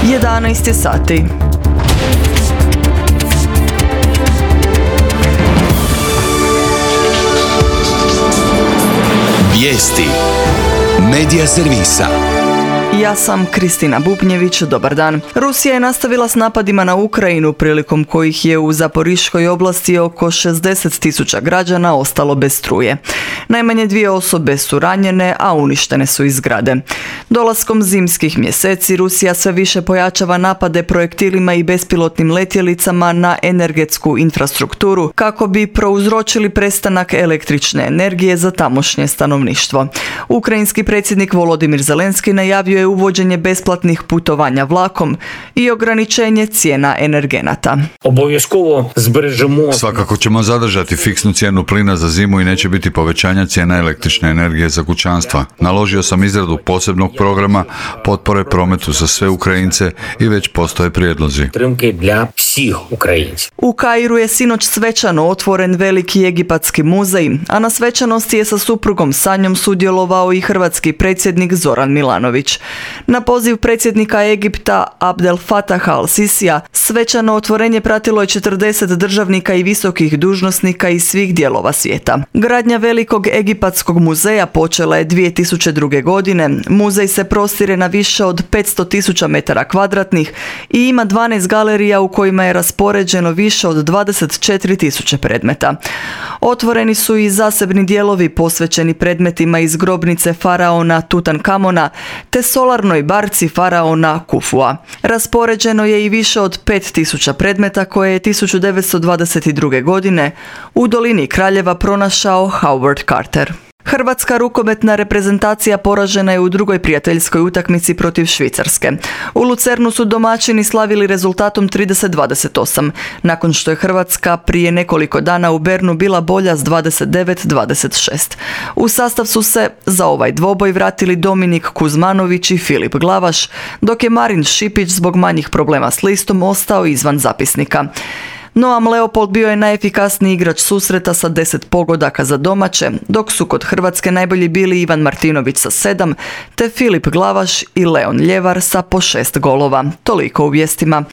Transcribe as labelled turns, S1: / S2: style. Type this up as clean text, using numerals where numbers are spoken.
S1: 11 je sati.
S2: Vijesti Medija servisa.
S1: Ja sam Kristina Bubnjević, dobar dan. Rusija je nastavila s napadima na Ukrajinu, prilikom kojih je u Zaporiškoj oblasti oko 60.000 građana ostalo bez struje. Najmanje 2 osobe su ranjene, a uništene su i zgrade. Dolaskom zimskih mjeseci Rusija sve više pojačava napade projektilima i bespilotnim letjelicama na energetsku infrastrukturu kako bi prouzročili prestanak električne energije za tamošnje stanovništvo. Ukrajinski predsjednik Volodimir Zelenski najavio je uvođenje besplatnih putovanja vlakom i ograničenje cijena energenata.
S3: Svakako ćemo zadržati fiksnu cijenu plina za zimu i neće biti povećanja cijena električne energije za kućanstva. Naložio sam izradu posebnog programa potpore prometu za sve Ukrajince i već postoje prijedlozi.
S1: U Kairu je sinoć svečano otvoren veliki egipatski muzej, a na svečanosti je sa suprugom Sanjom sudjelovao i hrvatski predsjednik Zoran Milanović. Na poziv predsjednika Egipta Abdel Fataha al-Sisija svečano otvorenje pratilo je 40 državnika i visokih dužnosnika iz svih dijelova svijeta. Gradnja velikog egipatskog muzeja počela je 2002. godine. Muzej se prostire na više od 500.000 metara kvadratnih i ima 12 galerija u kojima je raspoređeno više od 24.000 predmeta. Otvoreni su i zasebni dijelovi posvećeni predmetima iz grobnice faraona Tutankamona te solarnoj barci faraona Kufua. Raspoređeno je i više od 5.000 predmeta koje je 1922. godine u dolini Kraljeva pronašao Howard Carter. Hrvatska rukometna reprezentacija poražena je u drugoj prijateljskoj utakmici protiv Švicarske. U Lucernu su domaćini slavili rezultatom 30-28, nakon što je Hrvatska prije nekoliko dana u Bernu bila bolja s 29-26. U sastav su se za ovaj dvoboj vratili Dominik Kuzmanović i Filip Glavaš, dok je Marin Šipić zbog manjih problema s listom ostao izvan zapisnika. Noam Leopold bio je najefikasniji igrač susreta sa 10 pogodaka za domaće, dok su kod Hrvatske najbolji bili Ivan Martinović sa 7, te Filip Glavaš i Leon Ljevar sa po 6 golova. Toliko u vijestima.